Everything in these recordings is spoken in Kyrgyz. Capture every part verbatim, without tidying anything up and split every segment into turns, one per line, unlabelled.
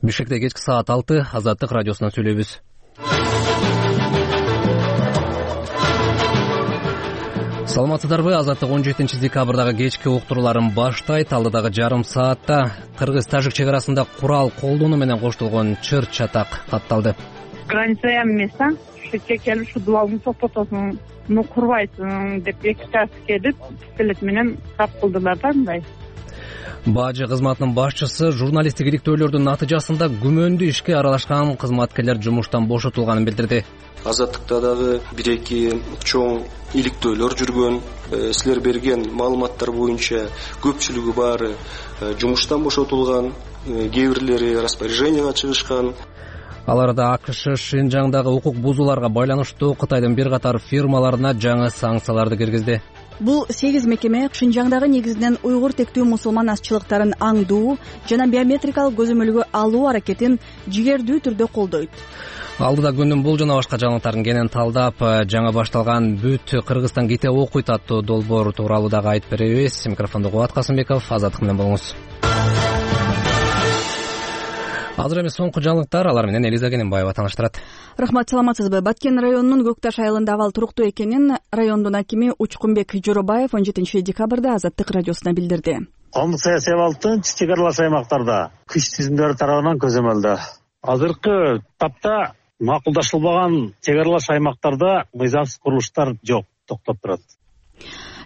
Бишкекте кечки саат алты, Азаттык радиосунан сүйлөйбүз. Саламатсыздарбы? Азаттык он жетинчи декабрдагы кечки уктурууларын баштайт. Алдыдагы жарым саатта кыргыз-тажик чек арасында курал колдонуу менен коштолгон чыр-чатак катталды.
Граница эмес, а? Ушу чекелип, ушу дубалыңды токтотосуң, муну курбайсың деп эки час келип, пистолет менен тап кылдылар да мындай.
Бажы кызматынын башчысы журналисттик иликтөөлөрдүн натыйжасында күмөндүү ишке аралашкан кызматкерлер жумуштан бошотулганын билдирди.
Азаттыкта дагы бир-эки чоң иликтөөлөр жүргөн. Силер берген маалыматтар боюнча көпчүлүгү баары жумуштан бошотулган, кээ бирлери распоряженияга чыгышкан.
Аларда АКШ Шинжаңдагы укук бузууларга байланыштуу Кытайдын бир катар фирмаларына жаңы санкцияларды киргизди.
Бул сегиз мекеме Шинжаңдагы негизинен уйгур тектүү мусулман азчылыктарын аңдуу жана биометрикалык көзөмөлгө алуу аракетин жигердүү түрдө колдойт.
Алдыда күндүн бул жана башка жаңылыктарын кенен талдап, жаңа башталган бүт Кыргызстан ките окуйт аттуу долбоор тууралуу дагы айтып беребиз. Микрофондо Кубат Касымбеков, Азаттык менен болуңуз. Азыр эми соңку жаңылыктар, алар менен Элиза Кененбаева тааныштырат.
Рахмат, саламатсызбы? Баткен районунун Көкташ айылында абал туруктуу экенин райондун акими Учкунбек Жоробаев он жетинчи декабрда Азаттык радиосуна билдирди.
Коомдук саясий абалдын чек аралаш аймактарда күч түзүмдөрү тарабынан көзөмөлдө. Азыркы тапта макулдашылбаган чек аралаш аймактарда мыйзамсыз курулуштар жок, токтоп турат.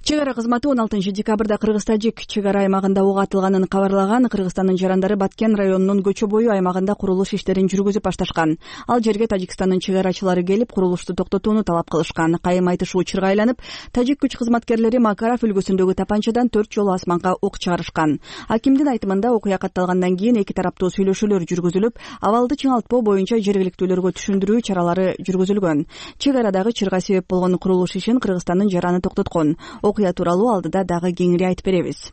Чек ара кызматы он алтынчы декабрда Кыргыз-Тажик чек ара аймагында ок атылганын кабарлаган. Кыргызстандын жарандары Баткен районунун көчө бою аймагында курулуш иштерин жүргүзүп башташкан. Ал жерге Тажикстандын чек арачылары келип, курулушту токтотууну талап кылышкан. Кайым айтышы учурга айланып, тажик күч кызматкерлери Макаров өлкөсүндөгү тапанчадан төрт жолу асманга ок чыгарышкан. Акимдин айтымында окуя катталгандан кийин эки тараптуу сүйлөшүүлөр жүргүзүлүп, абалды чыңалтпоо боюнча жергиликтүүлөргө түшүндүрүү чаралары жүргүзүлгөн. Чек арадагы чырга себеп болгон курулуш ишин Кыргызстандын жараны токтоткон. Окуя тууралуу алдыда дагы кеңири айтып беребиз.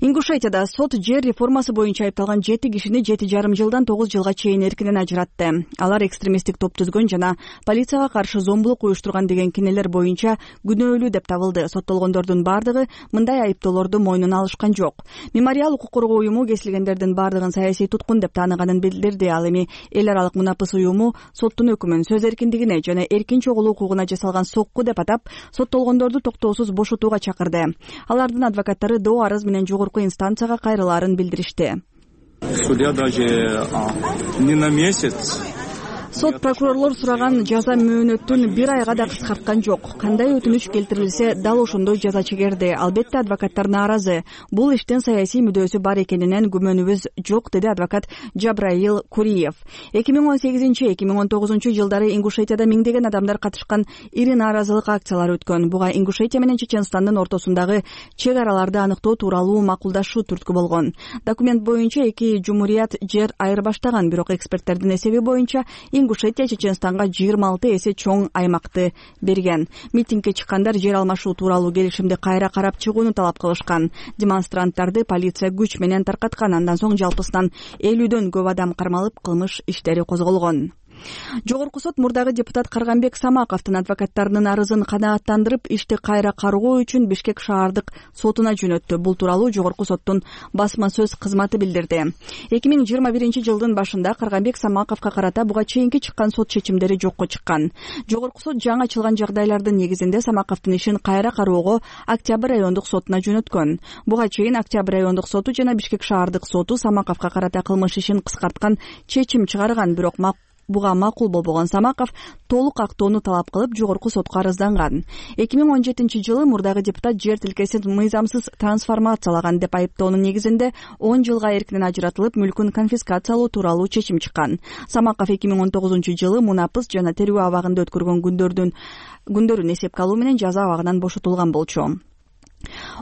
Ингушетияда сот жер реформасы боюнча айыпталган жети кишини жети жарым жылдан тогуз жылга чейин эркинен ажыратты. Алар экстремисттик топ түзгөн жана полицияга каршы зомбулук уюштурган деген кинелер боюнча күнөөлүү деп табылды. Соттолгондордун бардыгы мындай айыптоолорду мойнуна алышкан жок. Мемориал укук коргоо уюму кесилгендердин бардыгын саясий туткун деп тааныганын билдирди. Ал эми эл аралык мунапыс уюму соттун өкүмүн сөз эркиндигине жана эркин чогулуу укугуна жасалган сокку деп атап, соттолгондорду токтоосуз бошотууга чакырды. Алардын адвокаттары доо арыз менен жогорку инстанцияга кайрылаарын билдиришти.
Судья даже не на месяц.
Сот прокурорлор сураган жаза мөөнөтүн бир айга да кыскарткан жок. Кандай өтүнүч келтирилсе, дал ошондой жаза чегерди. Албетте адвокаттар нааразы. Бул иштин саясий мүдөөсү бар экенинен күмөнүбүз жок, деди адвокат Жабраил Куриев. эки миң он сегизинчи — эки миң он тогузунчу жылдары Ингушетияда миңдеген адамдар катышкан ири нааразылык акциялары өткөн. Буга Ингушетия менен Чеченстандын ортосундагы чек араларды аныктоо тууралуу макулдашуу түрткү болгон. Документ боюнча эки жумурият жер айырбаштаган, бирок эксперттердин эсеби боюнча Ингушетия Чеченстанга жыйырма алты эсе чоң аймакты берген. Митингге чыккандар жер алмашуу тууралуу келишимди кайра карап чыгууну талап кылышкан. Демонстранттарды полиция күч менен таркаткан. Андан соң жалпысынан элүүдөн көп адам кармалып, кылмыш иштери козголгон. Жогорку сот мурдагы депутат Карганбек Самаковдун адвокаттарынын арызын канааттандырып, ишти кайра каргоо үчүн Бишкек шаардык сотуна жөнөттү. Бул тууралуу Жогорку соттун басма сөз кызматы билдирди. эки миң жыйырма биринчи жылдын башында Карганбек Самаковго карата буга чейинки чыккан сот чечимдери жокко чыккан. Жогорку сот жаңы ачылган жагдайлардын негизинде Самаковдун ишин кайра кароого Октябрь райондук сотуна жөнөткөн. Буга чейин Октябрь райондук соту жана Бишкек шаардык соту Самаковго карата кылмыш ишин кыскарткан чечим чыгарган, бирок буга макул болбогон Самаков толук актоону талап кылып жогорку сотко арызданган. эки миң он жетинчи жылы мурдагы депутат жер тилкесин мыйзамсыз трансформациялаган деп айыптоонун негизинде он жылга эркинен ажыратылып, мүлкүн конфискациялоо тууралуу чечим чыккан. Самаков эки миң он тогузунчу жылы мунапыс жана терүү абагында өткөргөн күндөрдүн күндөрүн эсепке алуу менен жаза абагынан бошотулган болчу.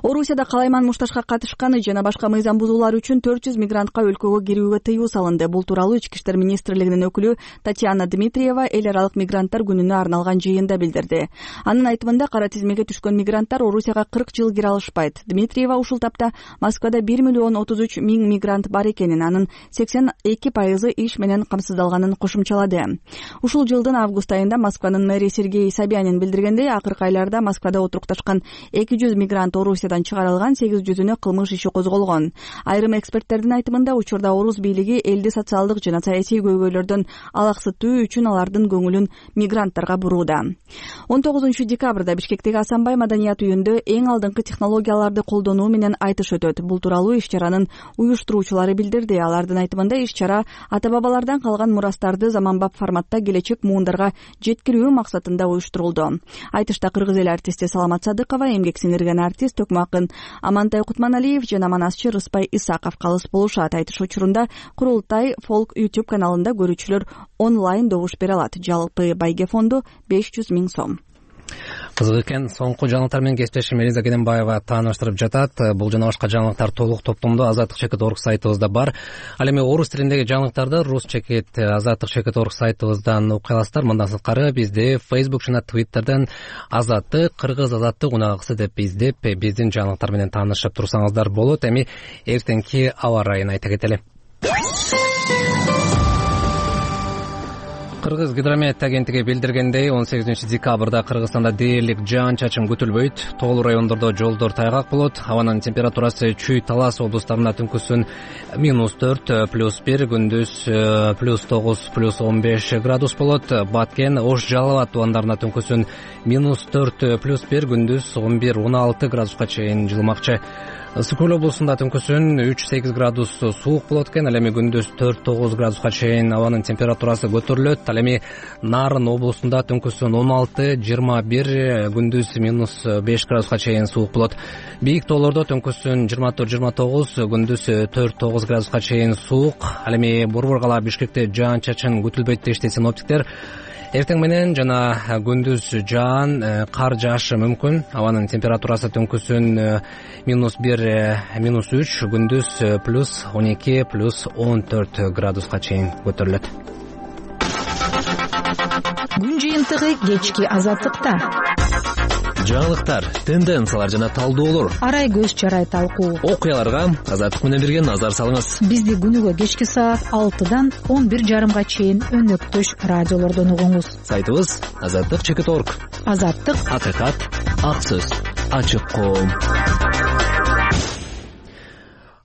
Орусияда калайман мушташка катышканы жана башка мыйзам бузуулар үчүн төрт жүз мигрантка өлкөгө кирүүгө тыюу салынды. Бул тууралуу Ички иштер министрлигинин өкүлү Татьяна Дмитриева эл аралык мигранттар күнүнө арналган жыйында билдирди. Анын айтымында кара тизмеге түшкөн мигранттар Орусияга кырк жыл кире алышпайт. Дмитриева ушул тапта Москвада бир миллион отуз үч миң мигрант бар экенин, анын сексен эки пайызы иш менен камсыздалганын кошумчалады. Ушул жылдын август айында Москванын мэри Сергей Собянин билдиргендей, акыркы айларда Москвада отурукташкан эки жүз мигрант мигрант Орусиядан чыгарылган сегиз жүзүнө кылмыш иши козголгон. Айрым эксперттердин айтымында учурда орус бийлиги элди социалдык жана саясий көйгөйлөрдөн алаксытуу үчүн алардын көңүлүн мигранттарга бурууда. он тогузунчу декабрда Бишкектеги Асанбай маданият үйүндө эң алдыңкы технологияларды колдонуу менен айтыш өтөт. Бул тууралуу иш-чаранын уюштуруучулары билдирди. Алардын айтымында иш-чара ата-бабалардан калган мурастарды заманбап форматта келечек муундарга жеткирүү максатында уюштурулду. Айтышта кыргыз эл артисти Саламат Садыкова, эмгек сиңирген артист Төкмө акын Амантай Кутманалиев жана манасчы Рыспай Исаков калыс болушат. Айтыш учурунда Курултай Folk YouTube каналында көрүүчүлөр онлайн добуш бере алат. Жалпы байге фонду беш жүз миң сом.
Кызык экен. Соңку жаңылыктар менен кесиптешим Элиза Кененбаева тааныштырып жатат. Бул жана башка жаңылыктар толук топтомдо азаттык чекит орг сайтыбызда бар. Ал эми орус тилиндеги жаңылыктарды рус чекит азаттык чекит орг сайтыбыздан окуй аласыздар. Мындан сырткары бизди Facebook жана Twitterден азаттык кыргыз азаттык унагысы деп издеп биздин жаңылыктар менен таанышып турсаңыздар болот. Эми эртеңки аба ырайын айта кетели. Кыргыз гидромет агенттиги билдиргендей, он сегизинчи декабрда Кыргызстанда дээрлик жаан-чачын күтүлбөйт. Тоолуу райондордо жолдор тайгак болот. Абанын температурасы Чүй, Талас облустарында түнкүсүн минус төрт плюс бир, күндүз плюс тогуз плюс он беш градус болот. Баткен, Ош, Жалал абад тубандарында түнкүсүн минус төрт плюс бир, күндүз он бир он алты градуска чейин жылымакчы. Ысык Көл облусунда түнкүсүн үч сегиз градус суук болот экен. Ал эми күндүз төрт тогуз градуска чейин абанын температурасы көтөрүлөт. Ал эми Нарын облусунда түнкүсүн он алты жыйырма бир, күндүз минус беш градуска чейин суук болот. Бийик тоолордо түнкүсүн жыйырма төрт жыйырма тогуз, күндүз төрт тогуз градуска чейин суук. Ал эми Борбор кала Бишкекте жаан-чачын күтүлбөйт дешти синоптиктер. Эртең менен жана күндүз жаан, кар жаашы мүмкүн. Абанын температурасы түнкүсүн минус бир, минус үч, күндүз плюс он эки, плюс он төрт градуска чейин көтөрүлөт.
Күн жыйынтыгы кечки азаттыкта.
Жаңылыктар, тенденциялар жана талдоолор.
Арай көз чарай талкуу.
Окуяларга азаттык менен бирге назар салыңыз.
Бизди күнүгө кечки саат алтыдан он бир жарымга чейин өнөктөш радиолордон угуңуз.
Сайтыбыз азаттык чекит орг.
Азаттык,
акыйкат, ак сөз, ачык коом.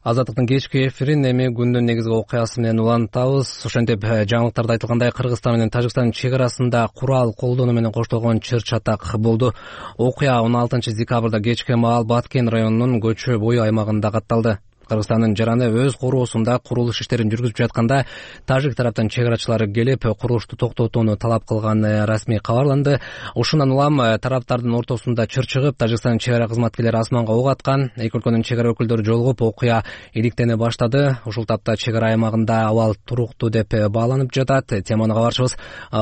Азаттыктын кечки эфирин эми күндүн негизги окуясы менен улантабыз. Ошентип жаңылыктарда айтылгандай Кыргызстан менен Тажикстан чек арасында курал колдонуу менен коштолгон чыр-чатак болду. Окуя он алтынчы декабрда кечки маал Баткен районунун көчө бою аймагында катталды. Кыргызстандын жараны өз короосунда курулуш иштерин жүргүзүп жатканда тажик тараптан чек арачылары келип курулушту токтотууну талап кылганы расмий кабарланды. Ушундан улам тараптардын ортосунда чыр чыгып, Тажикстан чек ара кызматкерлери асманга ок аткан. Эки өлкөнүн чек ара өкүлдөрү жолугуп, окуя иликтене баштады. Ушул тапта чек ара аймагында абал туруктуу деп бааланып жатат. Теманы кабарчыбыз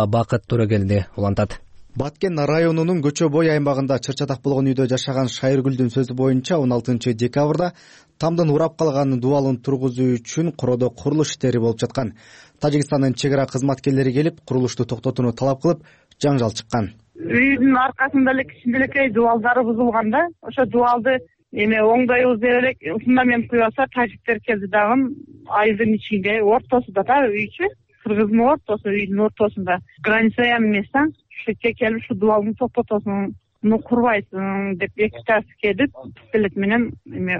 Бакыт Төрөгелди улантат.
Баткен районунун көчө бой аймагында чыр-чатак болгон үйдө жашаган Шайыргүлдүн сөзү боюнча он алтынчы декабрда тамдын урап калган дубалын тургузуу үчүн кородо курулуш иштери болуп жаткан. Тажикстандын чек ара кызматкерлери келип, курулушту токтотууну талап кылып, жаңжал чыккан.
Үйдүн аркасында эле кичинекей дубалдары бузулган да. Ошо дубалды эме оңдойбуз деп элек фундамент куйбаса тажиктер келди дагы айылдын ичинде ортосунда да үйчү. Кыргыздын ортосу, үйдүн ортосунда. Граница эмес да. Шетке келип ушу дубалды токтотосуң, муну курбайсың деп эки тарап келип, пистолет менен эме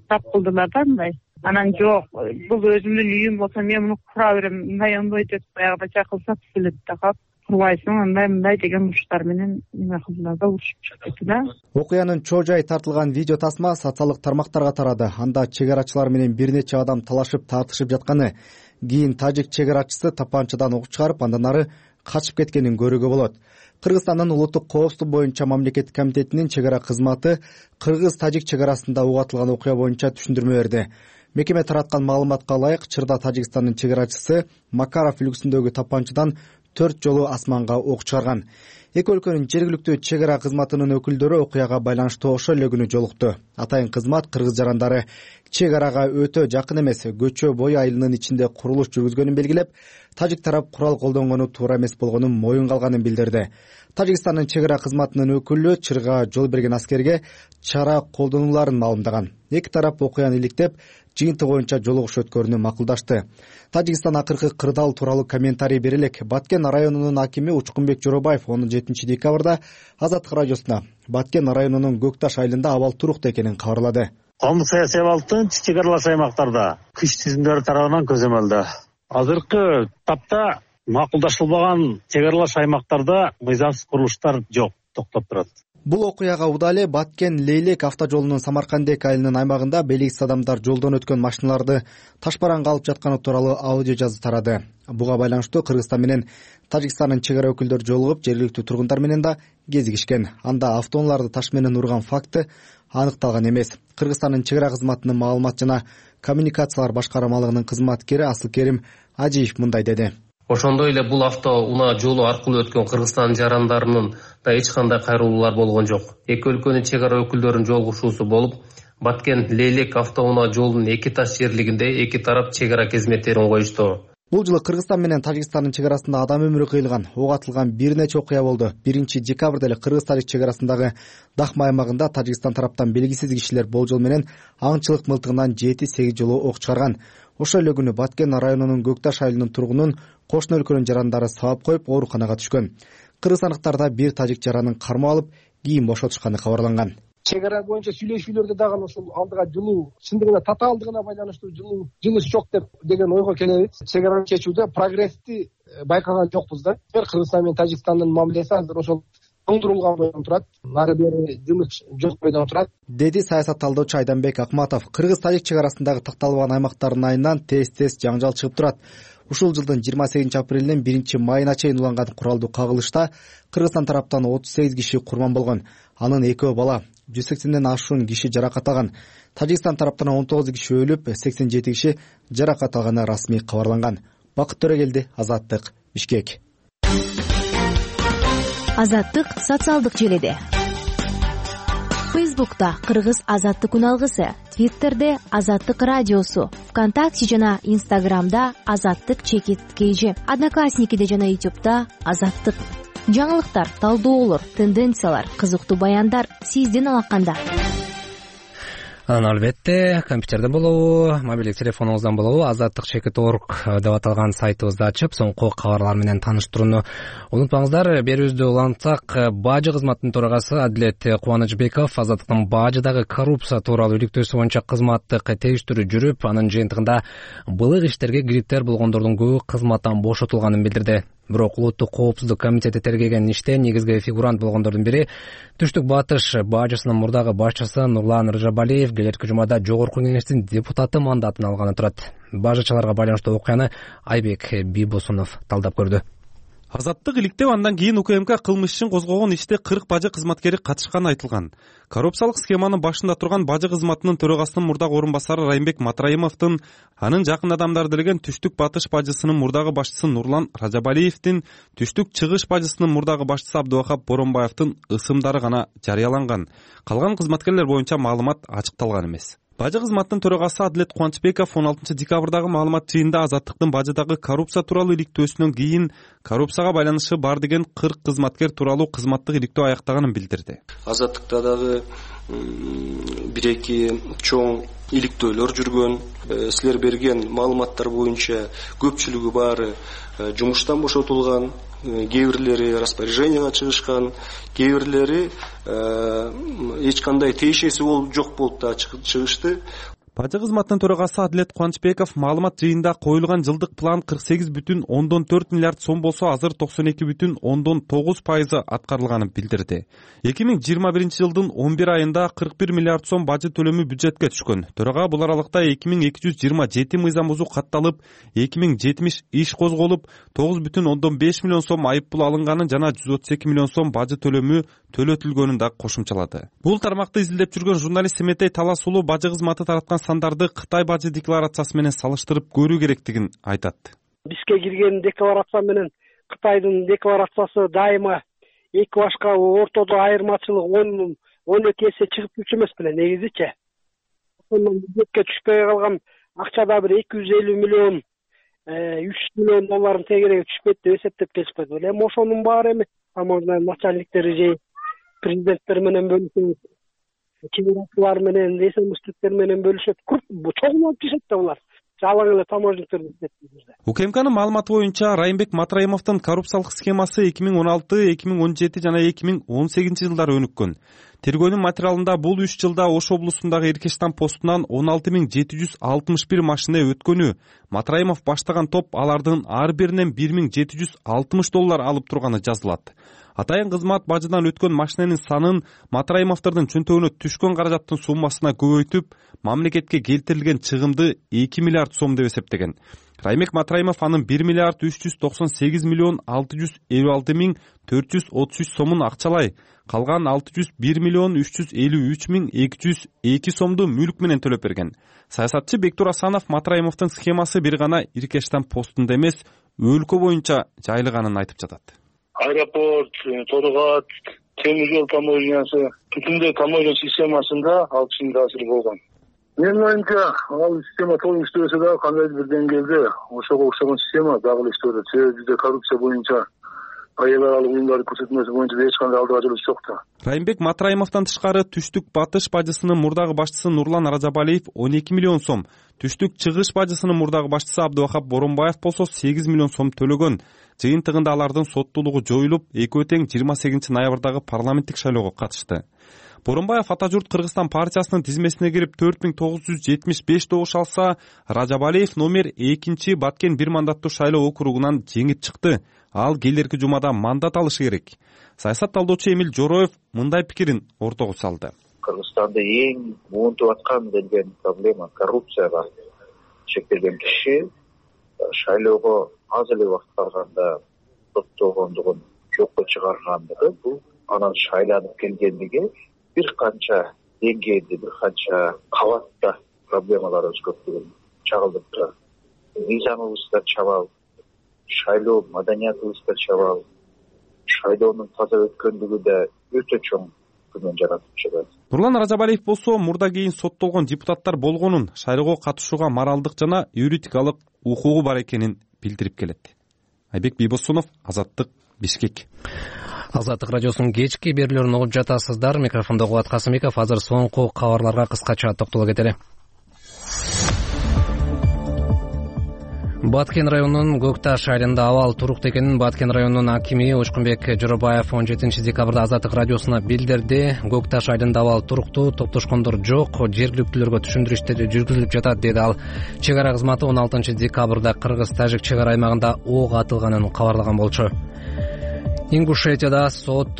тап кылдылар да мындай. Анан жок, бул өзүмдүн үйүм болсо мен муну кура берем, мындай оңдойт деп баягыда чакылса пистолет такап курбайсың, андай мындай деген уруштар менен эме кылдылар да, урушуп чыгып кетти да.
Окуянын чоо жайы тартылган видео тасма социалдык тармактарга тарады. Анда чек арачылар менен бир нече адам талашып тартышып жатканы, кийин тажик чек арачысы тапанчадан ок чыгарып, андан ары качып кеткенин көрүүгө болот. Кыргызстандын улуттук коопсуздук боюнча мамлекеттик комитетинин чек ара кызматы кыргыз-тажик чек арасында ок атылган окуя боюнча түшүндүрмө берди. Мекеме тараткан маалыматка ылайык, Чырда Тажикстандын чек арачысы Макаров үлгүсүндөгү тапанчадан төрт жолу асманга ок чыгарган. Эки өлкөнүн жергиликтүү чек ара кызматынын өкүлдөрү окуяга байланыштуу ошол эле күнү жолукту. Атайын кызмат кыргыз жарандары чек арага өтө жакын эмес, көчө бой айылынын ичинде курулуш жүргүзгөнүн белгилеп, тажик тарап курал колдонгону туура эмес болгонун моюнга алганын билдирди. Тажикстандын чек ара кызматынын өкүлү чырга жол берген аскерге чара колдонуларын маалымдаган. Эки тарап окуяны иликтеп, жыйынтык боюнча жолугуш өткөрүүнү макулдашты. Тажикстан акыркы кырдаал тууралуу комментарий бере элек. Баткен районунун акими Учкунбек Жоробаев он жетинчи декабрда Азаттык радиосуна Баткен районунун Көк Таш айылында абал туруктуу экенин кабарлады.
Коомдук саясий абалдын чек аралаш аймактарда күч тизимдери тарабынан көзөмөлдө. Азыркы тапта макулдашылбаган чек аралаш аймактарда мыйзамсыз курулуштар жок, токтоп турат.
Бул окуяга Удале Баткен Лейлек автожолунун Самаркандек айылынын аймагында белгисиз адамдар жолдон өткөн машиналарды ташбаранга алып жатканы тууралуу аудио жазуу тарады. Буга байланыштуу Кыргызстан менен Тажикстандын чек ара өкүлдөрү жолугуп, жергиликтүү тургундар менен да кезигишкен. Анда автоунааларды таш менен урган факты аныкталган эмес. Кыргызстандын чек ара кызматынын маалымат жана коммуникациялар башкармалыгынын кызматкери Асылкерим Ажиев мындай деди.
Ошондой эле бул автоунаа жолу аркылуу өткөн Кыргызстан жарандарынын да эч кандай кайрылуулар болгон жок. Эки өлкөнүн чек ара өкүлдөрүнүн жолугушуусу болуп, Баткен Лейлек автоунаа жолунун эки таш жерлигинде эки тарап чек ара кызметтерин коюшту.
Бул жылы Кыргызстан менен Тажикстандын чек арасында адам өмүрү кыйылган, ок атылган бир нече окуя болду. биринчи декабрда эле Кыргыз-Тажик чек арасындагы Дахма аймагында Тажикстан тараптан белгисиз кишилер болжол менен аңчылык мылтыгынан жети сегиз жолу ок чыгарган. Ошол эле күнү Баткен районунун Көк Таш айылынын тургунун кошуна өлкөнүн жарандары сабап коюп ооруканага түшкөн. Кыргызстандыктарда бир тажик жаранын кармап алып, кийин бошотушканы кабарланган.
Чек ара боюнча сүйлөшүүлөрдө дагы ошол алдыга жылуу, чындыгында татаалдыгына байланыштуу жылуу жылыш жок деп деген ойго келебиз. Чек араны чечүүдө прогрессти байкаган жокпуз да. Кыргызстан менен Тажикстандын мамилеси азыр ошол оңдурулган бойдон турат. Нары бери жылыш жок бойдон турат,
деди саясат талдоочу Айданбек Акматов. Кыргыз-Тажик чек арасындагы такталбаган аймактардын айынан тез-тез жаңжал чыгып турат. Ушул жылдын жыйырма сегизинчи апрелинен биринчи майына чейин уланган куралдуу кагылышта Кыргызстан тараптан отуз сегиз киши курман болгон. Анын экөө бала, жүз сексенден ашуун киши жаракат алган. Тажикстан тараптан он тогуз киши өлүп, сексен жети киши жаракат алганы расмий кабарланган. Бакыт Төрөгелди, Азаттык, Бишкек.
Азаттык социалдык желиде. Фейсбукта Кыргыз Азаттык күн алгысы, Твиттерде Азаттык радиосу, ВКонтакте жана Инстаграмда Азаттык чекит кейжи, Одноклассникиде жана Ютубта Азаттык. Жаңылыктар, талдоолор, тенденциялар, кызыктуу баяндар сиздин алаканда.
Анан албетте компьютерде болобу, мобилдик телефонуңуздан болобу, азаттык чекит точка орг деп аталган сайтыбызды ачып, соңку кабарлар менен тааныштырууну унутпаңыздар. Берүүбүздү улантсак, бажы кызматынын төрагасы Адилет Кубанычбеков Азаттыктын бажыдагы коррупция тууралуу иликтөөсү боюнча кызматтык териштирүү жүрүп, анын жыйынтыгында былык иштерге кириптер болгондордун көбү кызматтан бошотулганын билдирди. Бирок Улуттук коопсуздук комитети тергеген иште негизги фигурант болгондордун бири Түштүк Батыш бажысынын мурдагы башчысы Нурлан Рыжабалиев келерки жумада Жогорку кеңештин депутаты мандатын алганы турат. Бажычыларга байланыштуу окуяны Айбек Бибосунов талдап көрдү.
Азаттык иликтеп, андан кийин УКМК кылмыш ишин козгогон иште кырк бажы кызматкери катышканы айтылган. Коррупциялык схеманын башында турган бажы кызматынын төрагасынын мурдагы орун басары Райымбек Матраимовдун, анын жакын адамдары делеген Түштүк Батыш бажысынын мурдагы башчысы Нурлан Ражабалиевдин, Түштүк Чыгыш бажысынын мурдагы башчысы Абдубакап Боронбаевдин ысымдары гана жарыяланган. Калган кызматкерлер боюнча маалымат ачыкталган эмес. Бажы кызматынын төрагасы Адилет Кубанычбеков он алтынчы декабрдагы маалымат жыйынында Азаттыктын бажыдагы коррупция тууралуу иликтөөсүнөн кийин коррупцияга байланышы бар деген кырк кызматкер тууралуу кызматтык иликтөө аяктаганын билдирди.
Азаттыкта дагы бир эки чоң иликтөөлөр жүргөн. Силер берген маалыматтар боюнча көпчүлүгү баары жумуштан бошотулган, кээ бирлери распоряженияга чыгышкан, кээ бирлери эч кандай тиешеси болуп жок болуп да чыгышты.
Бажы кызматынын төрагасы Адилет Кубанычбеков маалымат жыйында коюлган жылдык план кырк сегиз бүтүн ондон төрт миллиард сом болсо, азыр токсон эки бүтүн ондон тогуз пайызы аткарылганын билдирди. эки миң жыйырма биринчи жылдын он бир айында кырк бир миллиард сом бажы төлөмү бюджетке түшкөн. Төрага бул аралыкта эки миң эки жүз жыйырма жети мыйзам бузуу катталып, эки миң жетимиш иш козголуп, тогуз бүтүн ондон беш миллион сом айып пул алынганын жана жүз отуз эки миллион сом бажы төлөмү төлөтүлгөнүн да кошумчалады. Бул тармакты изилдеп жүргөн журналист Семетей Талас уулу бажы кызматы тараткан сандарды Кытай бажы декларациясы менен салыштырып көрүү керектигин айтат.
Бизге кирген декларация менен Кытайдын декларациясы дайыма эки башка ортодо айырмачылык он он эки эсе чыгып жүрчү эмес беле негизичи. Ошондон бюджетке түшпөй калган акчада бир эки жүз элүү миллион үч миллион доллардын тегереги түшпөйт деп эсептеп келишпейт беле. Эми ошонун баары эми таможня начальниктери же президенттер менен бөлүшүп, чегарачылар менен, эсемиштиктер менен бөлүшөт. Чогулуп жашайт да булар. жалаң эле таможниктер иштетти.
УКМКнын маалыматы боюнча Райымбек Матраимовдун коррупциялык схемасы эки миң он алты эки миң он жети жана эки миң он сегизинчи жылдары өнүккөн. Тергөөнүн материалында бул үч жылда Ош облусундагы Эркештан постунан он алты миң жети жүз алтымыш бир машина өткөнү, Матраимов баштаган топ алардын ар биринен бир миң жети жүз алтымыш доллар алып турганы жазылат. Атайын кызмат бажынан өткөн машинанын санын Матраимовдордун чөнтөгүнө түшкөн каражаттын суммасына көбөйтүп, мамлекетке келтирилген чыгымды эки миллиард сом деп эсептеген. Райымбек Матраимов анын бир миллиард үч жүз токсон сегиз миллион алты жүз элүү алты миң төрт жүз отуз үч сомун акчалай, калган алты жүз бир миллион үч жүз элүү үч миң эки жүз эки сомду мүлк менен төлөп берген. Саясатчы Бектур Асанов Матраимовдун схемасы бир гана Иркештан постунда эмес, өлкө боюнча жайылганын айтып жатат.
Аэропорт, Торгат, темир жол таможнясы, бүтүндөй таможня системасында ал кишинин таасири болгон. Менин оюмча, ал система толук иштебесе дагы кандайдыр бир деңгээлде ошого окшогон система дагы эле иштеп жатат. Себеби бизде коррупция боюнча айыл аралык уюмдардын көрсөтмөсү боюнча эч кандай алдыга жылыш жок да.
Райымбек Матраимовдон тышкары Түштүк Батыш бажысынын мурдагы башчысы Нурлан Ражабалиев он эки миллион сом, Түштүк Чыгыш бажысынын мурдагы башчысы Абдыбакап Боронбаев болсо сегиз миллион сом төлөгөн. Жыйынтыгында алардын соттуулугу жоюлуп, экөө тең жыйырма сегизинчи ноябрдагы парламенттик шайлоого катышты. Боронбаев Ата журт Кыргызстан партиясынын тизмесине кирип төрт миң тогуз жүз жетимиш беш добуш алса, Ражабалиев номер экинчи Баткен бир мандаттуу шайлоо округунан жеңип чыкты. Ал келерки жумада мандат алышы керек. Саясат талдоочу Эмил Жороев мындай пикирин ортого салды.
Кыргызстанда эң муунтуп аткан деген проблема коррупцияга чектелген киши шайлоого аз эле убакыт калганда соттолгондугун жокко чыгаргандыгы, бул анан шайланып келгендиги бир канча деңгээлде, бир канча кабатта проблемаларыбыз көптүгүн чагылдырып турат. Мыйзамыбызда чабал, шайлоо маданиятыбызда чабал, шайлоонун таза өткөндүгү да өтө чоң күмөн жаратып жатат.
Нурлан Ражабалиев болсо мурда кийин соттолгон депутаттар болгонун, шайлоого катышууга моралдык жана юридикалык укугу бар экенин билдирип келет. Айбек Бийбосунов, Азаттык, Бишкек.
Азаттык радиосунун кечки берүүлөрүн угуп жатасыздар. Микрофондо Кубат Касымбеков. Азыр соңку кабарларга кыскача токтоло кетели. Баткен районунун Көкташ айылында абал туруктуу экенин Баткен районунун акими Учкунбек Жоробаев он жетинчи декабрда Азаттык радиосуна билдирди. Көкташ айылында абал туруктуу, топтошкондор жок, жергиликтүүлөргө түшүндүрүү иштери жүргүзүлүп жатат, деди ал. Чек ара кызматы он алтынчы декабрда Кыргыз-Тажик чек ара аймагында ок атылганын кабарлаган болчу. Ингушетияда сот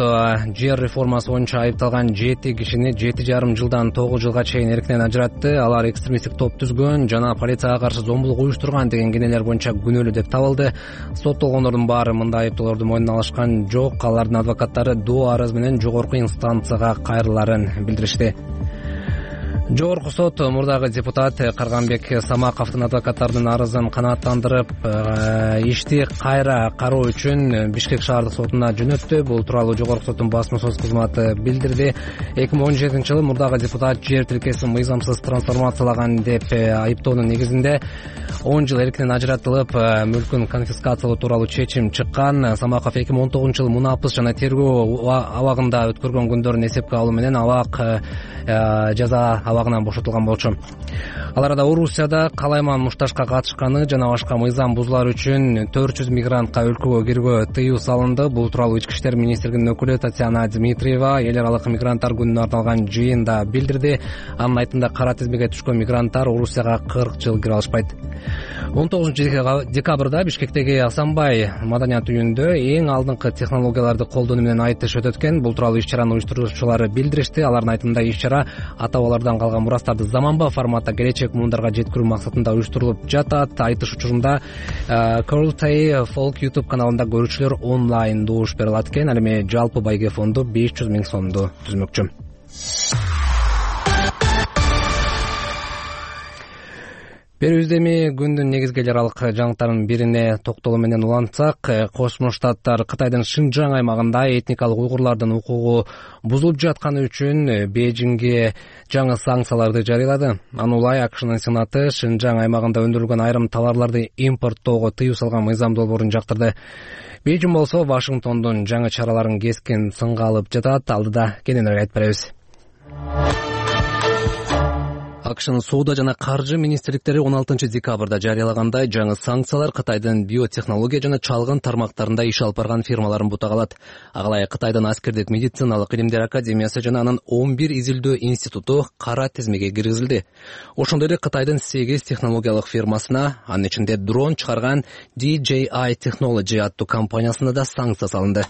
жер реформасы боюнча айыпталган жети кишини жети жарым жылдан тогуз жылга чейин эркинен ажыратты. Алар экстремисттик топ түзгөн жана полицияга каршы зомбулук уюштурган деген кенелер боюнча күнөөлүү деп табылды. Соттолгондордун баары мындай айыптоолорду мойнуна алышкан жок. Алардын адвокаттары доо арыз менен жогорку инстанцияга кайрылаарын билдиришти. Жогорку сот мурдагы депутат Карганбек Самаковдун адвокаттарынын арызын канааттандырып, ишти кайра кароо үчүн Бишкек шаардык сотуна жөнөттү. Бул тууралуу Жогорку соттун басма сөз кызматы билдирди. эки миң он жетинчи жылы мурдагы депутат жер тилкесин мыйзамсыз трансформациялаган деп айыптоонун негизинде он жыл эркинен ажыратылып, мүлкүн конфискациялоо тууралуу чечим чыккан. Самаков эки миң он тогузунчу жылы мунапыс жана тергөө абагында өткөргөн күндөрүн эсепке алуу менен абак жаза абагынан бошотулган болчу. Ал арада Орусияда калайман мушташка катышканы жана башка мыйзам бузуулар үчүн төрт жүз мигрантка өлкөгө кирүүгө тыюу салынды. Бул тууралуу Ички иштер министрлигинин өкүлү Татьяна Дмитриева эл аралык мигранттар күнүнө арналган жыйында билдирди. Анын айтымында кара тизмеге түшкөн мигранттар Орусияга кырк жыл кире алышпайт. он тогузунчу декабрда Бишкектеги Асанбай маданият үйүндө эң алдыңкы технологияларды колдонуу менен айтыш өтөт экен. Бул тууралуу иш-чаранын уюштуруучулары билдиришти. Алардын айтымында иш-чара ата-бабалардан калган мурастарды заманбап форматта келечек муундарга жеткирүү максатында уюштурулуп жатат. Айтыш учурунда Curltay Folk YouTube каналында көрүүчүлөр онлайн добуш бере алат экен. Ал эми жалпы байге фонду беш жүз миң сомду түзмөкчү. Берүүбүздө эми күндүн негизги эл аралык жаңылыктарынын бирине токтолуу менен улантсак, Кошмо Штаттар Кытайдын Шинжаң аймагында этникалык уйгурлардын укугу бузулуп жатканы үчүн Бейжиңге жаңы санкцияларды жарыялады. Аны улай АКШнын Сенаты Шинжаң аймагында өндүрүлгөн айрым товарларды импорттоого тыюу салган мыйзам долбоорун жактырды. Бейжиң болсо Вашингтондун жаңы чараларын кескин сынга алып жатат. Алдыда кененирээк айтып беребиз. акшнын соода жана каржы министрликтери он алтынчы декабрда жарыялагандай жаңы санкциялар Кытайдын биотехнология жана чалгын тармактарында иш алып барган фирмаларын бутак алат. Ага Кытайдын аскердик медициналык илимдер академиясы жана анын он бир изилдөө институту кара тизмеге киргизилди. Ошондой эле Кытайдын сегиз технологиялык фирмасына, анын ичинде дрон чыгарган ди джей ай Technology аттуу компаниясына да санкция салынды.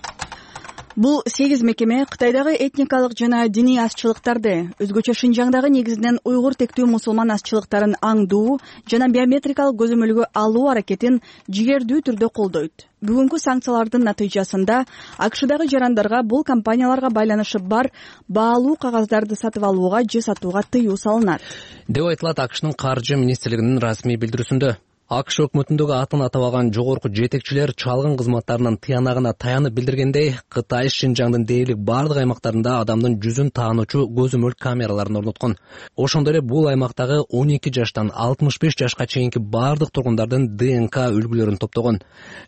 Бул сегиз мекеме Кытайдагы этникалык жана диний азчылыктарды, өзгөчө Шинжаңдагы негизинен уйгур тектүү мусулман азчылыктарын аңдуу жана биометрикалык көзөмөлгө алуу аракетин жигердүү түрдө колдойт. Бүгүнкү санкциялардын натыйжасында АКШдагы жарандарга бул компанияларга байланышы бар баалуу кагаздарды сатып алууга же сатууга тыюу салынат,
деп айтылат АКШнын каржы министрлигинин расмий билдирүүсүндө. АКШ өкмөтүндөгү атын атабаган жогорку жетекчилер чалгын кызматтарынын тыянагына таянып билдиргендей, Кытай Шинжаңдын дээрлик бардык аймактарында адамдын жүзүн таануучу көзөмөл камераларын орноткон. Ошондой эле бул аймактагы он эки жаштан алтымыш беш жашка чейинки бардык тургундардын ДНК үлгүлөрүн топтогон.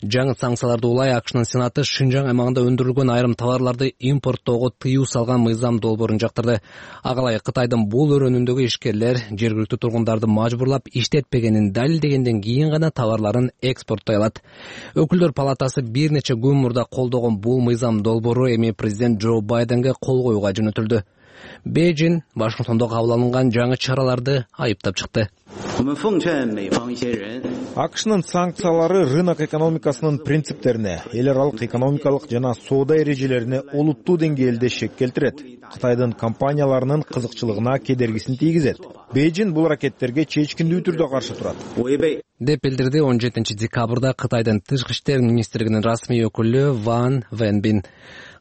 Жаңы санкцияларды улай АКШнын Сенаты Шинжаң аймагында өндүрүлгөн айрым товарларды импорттоого тыюу салган мыйзам долбоорун жактырды. Агалай Кытайдын бул өрөөнүндөгү ишкерлер жергиликтүү тургундарды мажбурлап иштетпегенин далилдегенден кийин гана товарларын экспорттой алат. Өкүлдөр палатасы бир нече күн мурда колдогон бул мыйзам долбоору эми президент Джо Байденге кол коюуга жөнөтүлдү. Бейжин Вашингтондо кабыл алынган жаңы чараларды айыптап чыкты.
АКШнын санкциялары рынок экономикасынын принциптерине, эл аралык экономикалык жана соода эрежелерине олуттуу деңгээлде шек келтирет. Кытайдын компанияларынын кызыкчылыгына кедергисин тийгизет. Бейжин бул аракеттерге чечкиндүү түрдө каршы турат,
деп билдирди он жетинчи декабрда Кытайдын тышкы иштер министрлигинин расмий өкүлү Ван Венбин.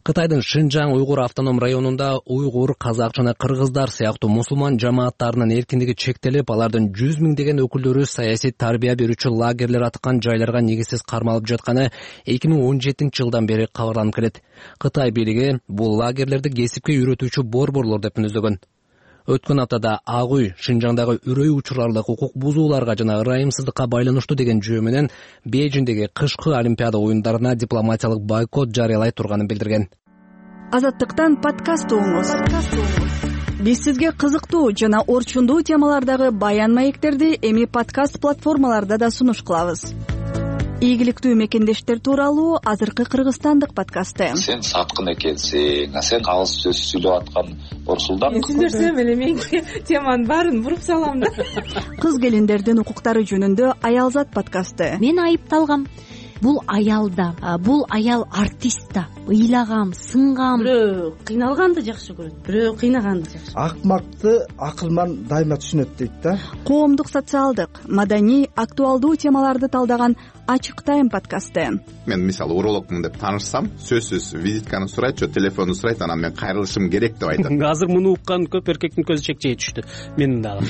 Кытайдын Шинжаң уйгур автоном районунда уйгур, казак жана кыргыздар сыяктуу мусулман жамааттарынын эркиндиги чектелип, алардын жүз миңдеген өкүлдөрү саясий тарбия берүүчү лагерлер аткан жайларга негизсиз кармалып жатканы эки миң он жетинчи жылдан бери кабарланып келет. Кытай бийлиги бул лагерлерди кесипке үйрөтүүчү борборлор деп мүнөздөгөн. Өткөн аптада Ак үй Шинжаңдагы үрөй учурлардык укук бузууларга жана ырайымсыздыкка байланыштуу деген жөө менен Бейжиңдеги кышкы Олимпиада оюндарына дипломатиялык бойкот жарыялай турганын билдирген.
Азаттыктан подкаст угуңуз. Биз сизге кызыктуу жана орчундуу темалардагы баян маектерди эми подкаст платформаларда да сунуш кылабыз. Ийгиликтүү мекендештер тууралуу азыркы кыргызстандык подкасты.
Сен саткын экенсиң, сен калыс сөз сүйлөп аткан Орсулдан.
Түшүндүрсөм эле мен теманын баарын буруп салам да.
Кыз келиндердин укуктары жөнүндө Аялзат подкасты.
Мен айыпталгам. Бул аял да, бул аял артист да. Ыйлагам, сынгам.
Бирөө кыйналганды жакшы көрөт, бирөө кыйнаганды жакшы.
Акмакты акылман дайыма түшүнөт дейт да.
Коомдук, социалдык, маданий, актуалдуу темаларды талдаган Ачык тайм подкасты.
Мен мисалы урологмун деп таанышсам, сөзсүз визитканы сурайт, же телефонду сурайт, анан мен кайрылышым керек деп айтам.
Азыр муну уккан көп эркектин көзү чекчейе түштү. Менин дагы.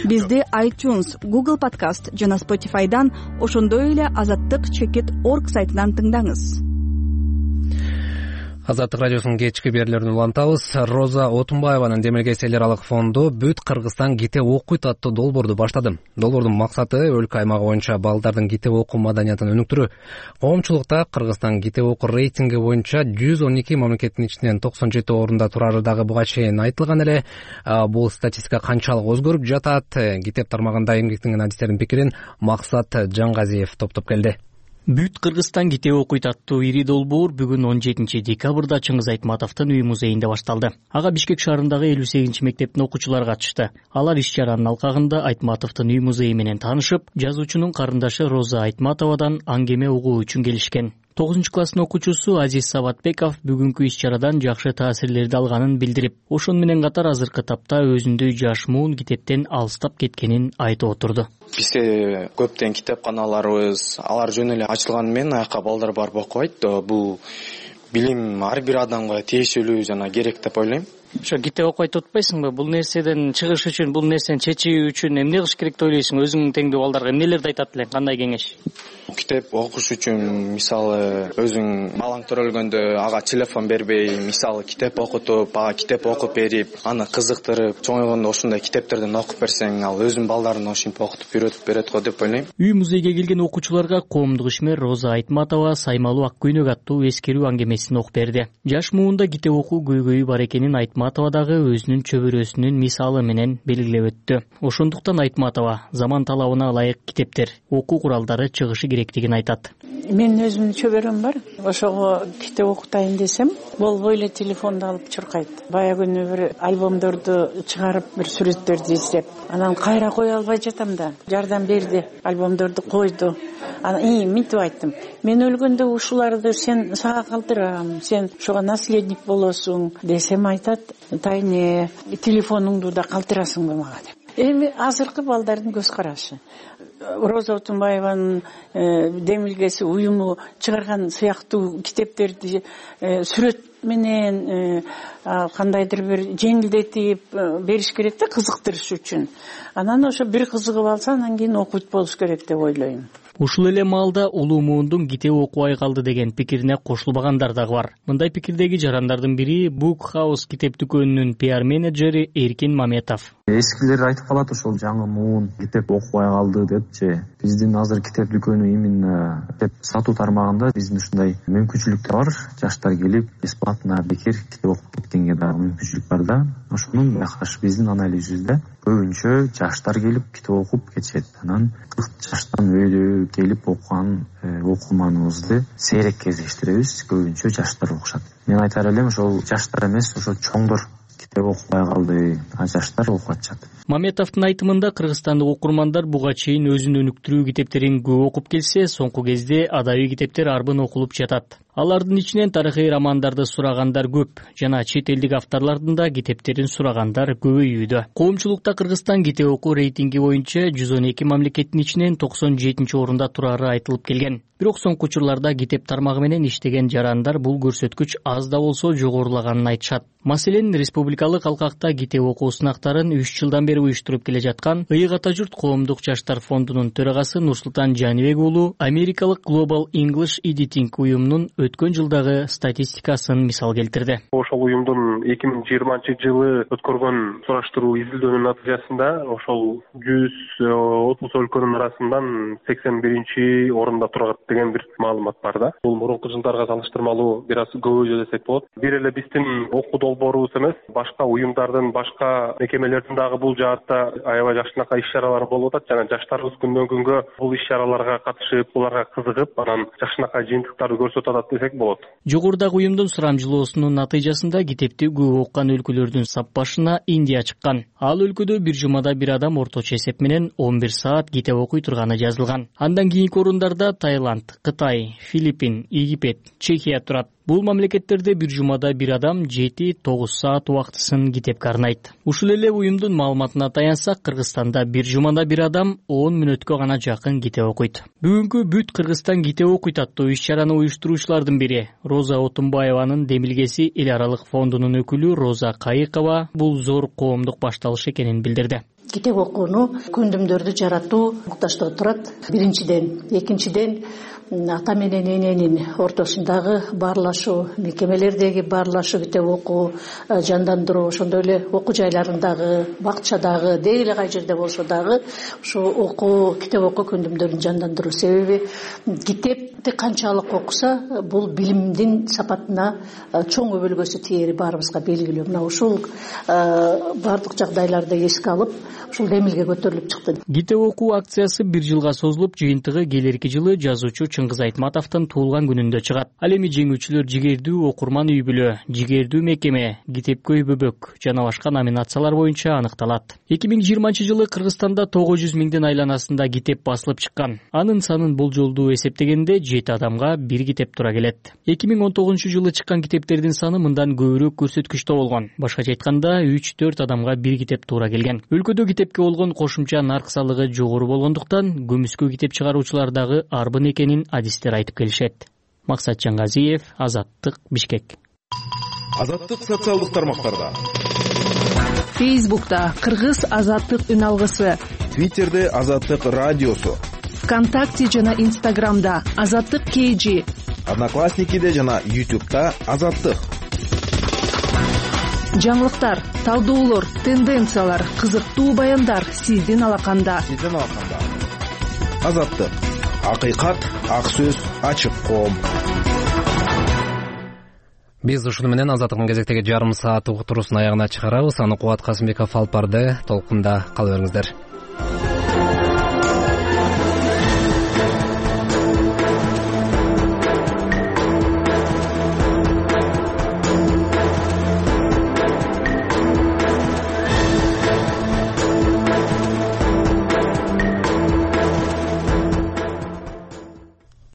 Бизди iTunes, Google Podcast жана Spotify'дан, ошондой эле азаттык чекит точка орг сайтынан тыңдаңыз.
Азаттык радиосунун кечки берүүлөрүн улантабыз. Роза Отунбаеванын Демилгес эл аралык фонду Бүт Кыргызстан китеп окуйт аттуу долбоорду баштады. Долбоордун максаты өлкө аймагы боюнча балдардын китеп окуу маданиятын өнүктүрүү. Коомчулукта Кыргызстан китеп окуу рейтинги боюнча жүз он эки мамлекеттин ичинен токсон жети орунда турары дагы буга чейин айтылган эле. Бул статистика канчалык өзгөрүп жатат? Китеп тармагында эмгектенген адистердин пикирин Максат Жаңгазиев топтоп келди.
Бүт Кыргызстан китеп окуйт аттуу ири долбоор бүгүн он жетинчи декабрда Чыңгыз Айтматовдун үй музейинде башталды. Ага Бишкек шаарындагы элүү сегизинчи мектептин окуучулары катышты. Алар иш чаранын алкагында Айтматовдун үй музейи менен таанышып, жазуучунун карындашы Роза Айтматовадан аңгеме угуу үчүн келишкен. тогузунчу класстын окуучусу Азиз Сабатбеков бүгүнкү иш чарадан жакшы таасирлерди алганын билдирип, ошон менен катар азыркы тапта өзүндөй жаш муун китептен алыстап кеткенин айтып отурду.
Бизде көптөн китепканаларыбыз, алар жөн эле ачылганы менен аяка балдар барып окубайт. Бул билим ар бир адамга тиешелүү жана керек деп ойлойм.
Ошо китеп окубай турбайсыңбы? Бул нерседен чыгыш үчүн, бул нерсени чечүү үчүн эмне кылыш керек деп ойлойсуң? Өзүңдүн теңдүү балдарга эмнелерди айтат элең? Кандай кеңеш?
Китеп окуш үчүн мисалы өзүң балаң төрөлгөндө ага телефон бербей, мисалы китеп окутуп, ага китеп окуп берип, аны кызыктырып, чоңойгондо ушундай китептерден окуп берсең, ал өзүнүн балдарына ошентип окутуп үйрөтүп берет го деп ойлойм.
Үй музейге келген окуучуларга коомдук ишмер Роза Айтматова Саймалуу ак көйнөк аттуу эскерүү аңгемесин окуп берди. Жаш муунда китеп окуу көйгөйү бар экенин айтматова Айтматова дагы өзүнүн чөбөрөсүнүн мисалы менен белгилеп өттү. Ошондуктан Айтматова заман талабына ылайык китептер, окуу куралдары чыгышы керектигин айтат.
Менин өзүмдүн чөбөрөм бар. Ошого китеп окутайын десем, болбой эле телефонду алып чуркайт. Бая күнү бир альбомдорду чыгарып, бир сүрөттөрдү издеп, анан кайра кое албай жатам да. Жардам берди, альбомдорду койду. Анан и мынтип айттым. Мен өлгөндө ушуларды сен сага калтырам, сен ушуга наследник болосуң десем айтат, тайне телефонуңду да калтырасыңбы мага деп. Эми азыркы балдардын көз карашы. Роза Отунбаеванын демилгеси уюму чыгарган сыяктуу китептерди сүрөт менен кандайдыр бир жеңилдетип бериш керек да, кызыктырыш үчүн. Анан ошо бир кызыгып алса, анан кийин окуйт болуш керек деп ойлойм.
Ушул эле маалда улуу муундун китеп окубай калды деген пикирине кошулбагандар дагы бар. Мындай пикирдеги жарандардын бири Book House китеп дүкөнүнүн пиар менеджери Эркин Маметов.
Эскилер айтып калат, ошол жаңы муун китеп окубай калды депчи. Биздин азыр китеп дүкөнү именно китеп сатуу тармагында биздин ушундай мүмкүнчүлүктөр бар. Жаштар келип бесплатно бекер китеп окуп кеткенге дагы мүмкүнчүлүк бар да. Ошонун байкаш биздин анализибизде көбүнчө жаштар келип китеп окуп кетишет. Анан кырк жаштан өйдө келип окуган окурманыбызды сейрек кездештиребиз. Көбүнчө жаштар окушат. Мен айтар элем, ошол жаштар эмес, ошо чоңдор китеп окубай калды, а жаштар окуп атышат.
Маметовдун айтымында кыргызстандык окурмандар буга чейин өзүнүн өнүктүрүү китептерин көп окуп келсе, соңку кезде адабий китептер арбын окулуп жатат. Алардын ичинен тарыхый романдарды сурагандар көп жана чет элдик авторлордун да китептерин сурагандар көбөйүүдө. Коомчулукта Кыргызстан китеп окуу рейтинги боюнча жүз он эки мамлекеттин ичинен токсон жетинчи орунда турары айтылып келген. Бирок соңку учурларда китеп тармагы менен иштеген жарандар бул көрсөткүч аз да болсо жогорулаганын айтышат. Маселен, республикалык алкакта китеп окуу сынактарын үч жылдан бери уюштуруп келе жаткан Ыйык ата журт коомдук жаштар фондунун төрагасы Нурсултан Жанибек уулу Америкалык Global English Editing уюмунун өткөн жылдагы статистикасын мисал келтирди.
Ошол уюмдун эки миң жыйырманчы жылы өткөргөн сураштыруу изилдөөнүн натыйжасында ошол жүз отуз өлкөнүн арасынан сексен биринчи орунда турат деген бир маалымат бар да. Бул мурунку жылдарга салыштырмалуу бир аз көбөйдү десек болот. Бир эле биздин окуу долбоорубуз эмес, башка уюмдардын, башка мекемелердин дагы бул жаатта аябай жакшынакай иш-чаралары болуп атат. Жана жаштарыбыз күндөн күнгө бул иш-чараларга катышып, буларга кызыгып, анан жакшынакай жыйынтыктарды көрсөтүп атат десек болот.
Жогорудагы уюмдун сурамжылоосунун натыйжасында китепти көп окуган өлкөлөрдүн саппашына Индия чыккан. Ал өлкөдө бир жумада бир адам орточо эсеп менен он бир саат китеп окуй турганы жазылган. Андан кийинки орундарда Таиланд, Кытай, Филиппин, Египет, Чехия турат. Бул мамлекеттерде бир жумада бир адам жети тогуз саат убактысын китепке арнайт. Ушул эле уюмдун маалыматына таянсак, Кыргызстанда бир жумада бир адам он мүнөткө гана жакын китеп окуйт. Бүгүнкү бүт Кыргызстан китеп окуйт аттуу иш-чараны уюштуруучулардын бири Роза Отунбаеванын демилгеси эл аралык фондунун өкүлү Роза Кайыкова бул зор коомдук башталыш экенин билдирди.
Китеп окууну күндүмдөрдү жаратуу муктаждыгы турат. Биринчиден, экинчиден ата менен эненин ортосундагы баарлашуу, мекемелердеги баарлашуу, китеп окуу жандандыруу, ошондой эле окуу жайларындагы, бакчадагы, деги эле кай жерде болсо дагы ошо окуу, китеп окуу күндүмдөрүн жандандыруу. Себеби китепти канчалык окуса, бул билимдин сапатына чоң өбөлгөсү тиери баарыбызга белгилүү. Мына ушул баардык жагдайларды эске алып, ушул демилге көтөрүлүп чыкты.
Китеп окуу акциясы бир жылга созулуп, жыйынтыгы келерки жылы жазуучу Чыңгыз Айтматовдун туулган күнүндө чыгат. Ал эми жеңүүчүлөр жигердүү окурман үй бүлө, жигердүү мекеме, китепке үй бөбөк жана башка номинациялар боюнча аныкталат. эки миң жыйырманчы жылы Кыргызстанда тогуз жүз миңдин айланасында китеп басылып чыккан. Анын санын болжолдуу эсептегенде жети адамга бир китеп тура келет. эки миң он тогузунчу жылы чыккан китептердин саны мындан көбүрөөк көрсөткүчтө болгон. Башкача айтканда үч төрт адамга бир китеп туура келген. Өлкөдө китепке болгон кошумча нарксалыгы жогору болгондуктан көмүскө китеп чыгаруучулар дагы арбын экенин адистер айтып келишет. Максат Жаңгазиев, Азаттык, Бишкек.
Азаттык социалдык тармактарда.
Фейсбукта Кыргыз Азаттык үн алгысы.
Твиттерде Азаттык радиосу.
ВКонтакте жана Инстаграмда Азаттык кей жи.
Одноклассникиде жана Ютубта Азаттык.
Жаңылыктар, талдоолор, тенденциялар, кызыктуу баяндар сиздин алаканда.
Сиздин алаканда. Азаттык. Акыйкат, ак сөз, ачык коом.
Биз ушуну менен Азаттыктын кезектеги жарым саат уктуруусун аягына чыгарабыз. Аны Кубат Касымбеков алып барды. Толкунда кала бериңиздер.